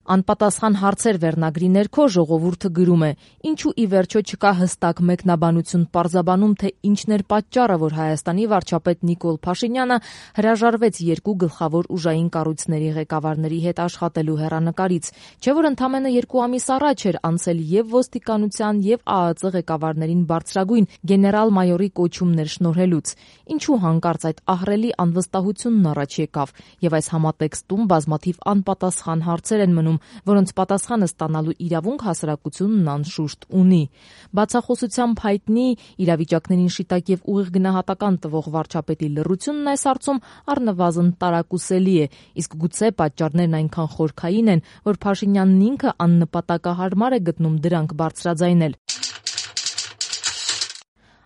Անպատասխան հարցեր վերնագրի ներքո ժողովուրդը գրում է. ինչու ի վերջո չկա հստակ մեկնաբանություն պարզաբանում, թե ինչն էր պատճառը, որ Հայաստանի վարչապետ Նիկոլ Փաշինյանը հրաժարվեց երկու գլխավոր ուժային կառույցների ղեկավարների հետ աշխատելու հեռանկարից, չէ՞ որ ընդամենը 2 ամիս առաջ էր անցել եւ ոստիկանության եւ ԱԱԾ ղեկավարներին բարձրագույն գեներալ-մայորի կոչումներ շնորհելուց, ինչու հանկարծ այդ ահռելի անվստահությունն առաջ եկավ, եւ այս համատեքստում բազմաթիվ անպատասխան հարցեր են մնում, որոնց պատասխանը ստանալու իրավունք հասարակությունն անշուշտ ունի։ Բացախոսությամբ հայտնի, իրավիճակներին շիտակ եւ ուղիղ գնահատական տվող վարչապետի լռությունն այս հարցում առնվազն տարակուսելի է, իսկ գուցե պատճառներն այնքան խորքային են, որ Փաշինյանն ինքը աննպատակահարմար է գտնում դրանք բարձրաձայնել։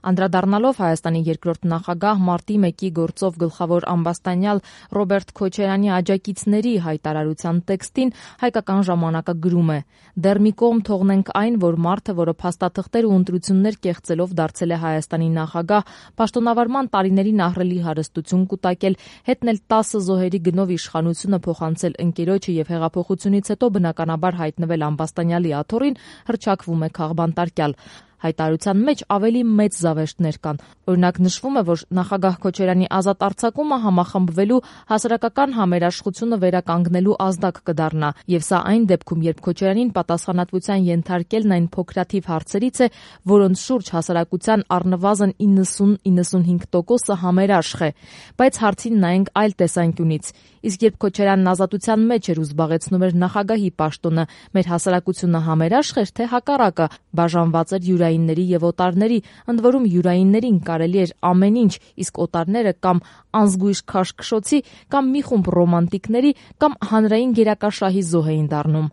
Անդրադառնալով Հայաստանի երկրորդ նախագահ մարտի 1-ի գործով գլխավոր ամբաստանյալ Ռոբերտ Քոչարյանի աջակիցների հայտարարության տեքստին, Հայկական ժամանակը գրում է. «Դեռ մի կողմ թողնենք այն, որ մարդը, որը փաստաթղթեր ու ընտրություններ կեղծելով դարձել է Հայաստանի նախագահ, պաշտոնավարման տարիներին ահռելի հարստություն կուտակել, հետնել 10 զոհերի գնով իշխանությունը փոխանցել ընկերոջը եւ հեղափոխությունից հետո բնականաբար հայտնվել ամբաստանյալի աթոռին, հռչակվում է քաղբանտարկյալ»։ Հայտարարության մեջ ավելի մեծ զավեշտներ կան։ Օրինակ նշվում է, որ նախագահ Քոչարյանի ազատ արձակումը համախմբվելու հասարակական համերաշխությունը վերականգնելու ազդակ կդառնա, եւ սա այն դեպքում, երբ Քոչարյանին պատասխանատվության ենթարկելն այն փոքրաթիվ հարցերից է, որոնց շուրջ հասարակության առնվազն 90-95%-ը համերաշխ է։ Բայց հարցին նայենք այլ տեսանկյունից։ Իսկ երբ Քոչարյանն ազատության մեջ էր ու զբաղեցնում էր նախագահի պաշտոնը, մեր հասարակությունը համերաշխ էր, թե հակառակը, բաժանված էր յուրայինների եւ օտարների, ընդ որում յուրայիններին կարելի էր ամեն ինչ, իսկ օտարները կամ անզգույշ քաշքշոցի, կամ մի խումբ ռոմանտիկների, կամ հանրային գերակաշահի զոհ էին դառնում։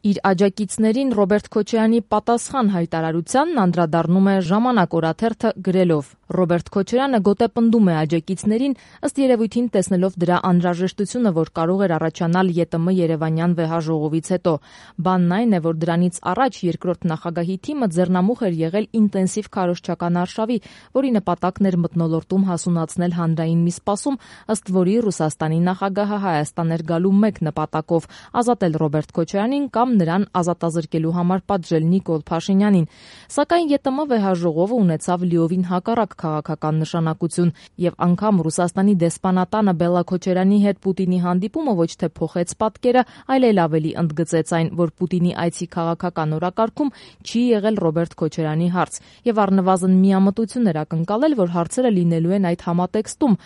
Իր աջակիցներին Ռոբերտ Քոչարյանի պատասխան հայտարարությանն անդրադառնում է «Ժամանակ» օրաթերթը գրելով. Ռոբերտ Քոչարյանը գոտեպնդում է աջակիցներին, ըստ երևույթին տեսնելով դրա անհրաժեշտությունը, որ կարող էր առաջանալ ԵՏՄ Երևանյան վեհաժողովից հետո։ Բանն այն է, որ դրանից առաջ երկրորդ նախագահի թիմը ձեռնամուխ էր եղել ինտենսիվ քարոզչական արշավի, որի նպատակն էր մթնոլորտում հասունացնել հանրային մի սպասում, ըստ որի Ռուսաստանի նախագահը Հայաստան էր գալու մեկ նպատակով՝ ազատել Ռոբերտ Քոչարյանին կամ նրան ազատազրկելու համար պատժել Նիկոլ Փաշինյանին։ Սակայն ԵՏՄ վեհաժողովը ունեցավ լիովին հակառակ քաղաքական նշանակություն, եւ անգամ Ռուսաստանի դեսպանատանը Բելլա Քոչարյանի հետ Պուտինի հանդիպումը ոչ թե փոխեց պատկերը, այլ էլ ավելի ընդգծեց այն, որ Պուտինի այցի քաղաքական օրակարգում չի եղել Ռոբերտ Քոչարյանի հարց, եւ առնվազն միամտություն էր ակնկալել, որ հարցերը լինելու են այդ համատեքստում,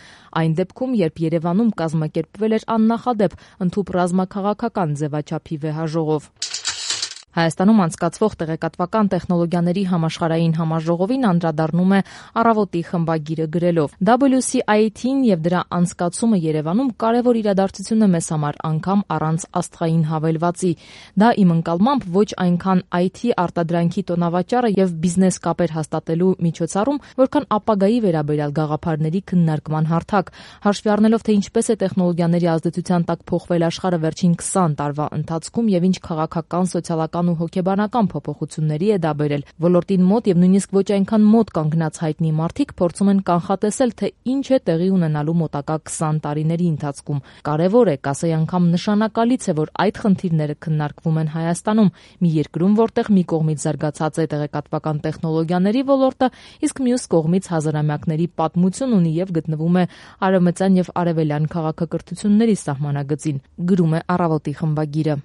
այն դեպքում, երբ Երևանում կազմակերպվել էր աննախադեպ ընդհուպ ռազմաքաղաքական ձևաչափի վեհաժողով։ Հայաստանում անցկացվող տեղեկատվական տեխնոլոգիաների համաշխարհային համաժողովին անդրադառնում է Առավոտի խմբագիրը գրելով. WCIT-ն եւ դրա անցկացումը Երևանում կարևոր իրադարձություն է մեզ համար, անգամ առանց աստղային հավելվածի։ Դա իմ ընկալմամբ ոչ այնքան IT արտադրանքի տոնավաճառը եւ բիզնես կապեր հաստատելու միջոցառում, որքան ապագայի վերաբերյալ գաղափարների քննարկման հարթակ, հաշվի առնելով, թե ինչպես է տեխնոլոգիաների ազդեցության տակ փոխվել աշխարհը վերջին 20 տարվա ընթացքում եւ ինչ քաղաքական, սոցիալական ու հոգեբանական փոփոխությունների է դա բերել։ Ոլորտին մոտ եւ նույնիսկ ոչ այնքան մոտ կանգնած հայտնի մարդիկ փորձում են կանխատեսել, թե ինչ է տեղի ունենալու մոտակա 20 տարիների ընթացքում։ Կարևոր է, կասեի անգամ նշանակալից է, որ այդ խնդիրները քննարկվում են Հայաստանում, մի երկրում, որտեղ մի կողմից զարգացած է տեղեկատվական տեխնոլոգիաների ոլորտը, իսկ մյուս կողմից հազարամյակների պատմություն ունի եւ գտնվում է արևմտյան եւ արևելյան քաղաքակրթությունների սահմանագծին, գրում է Առավոտի խմբագիրը։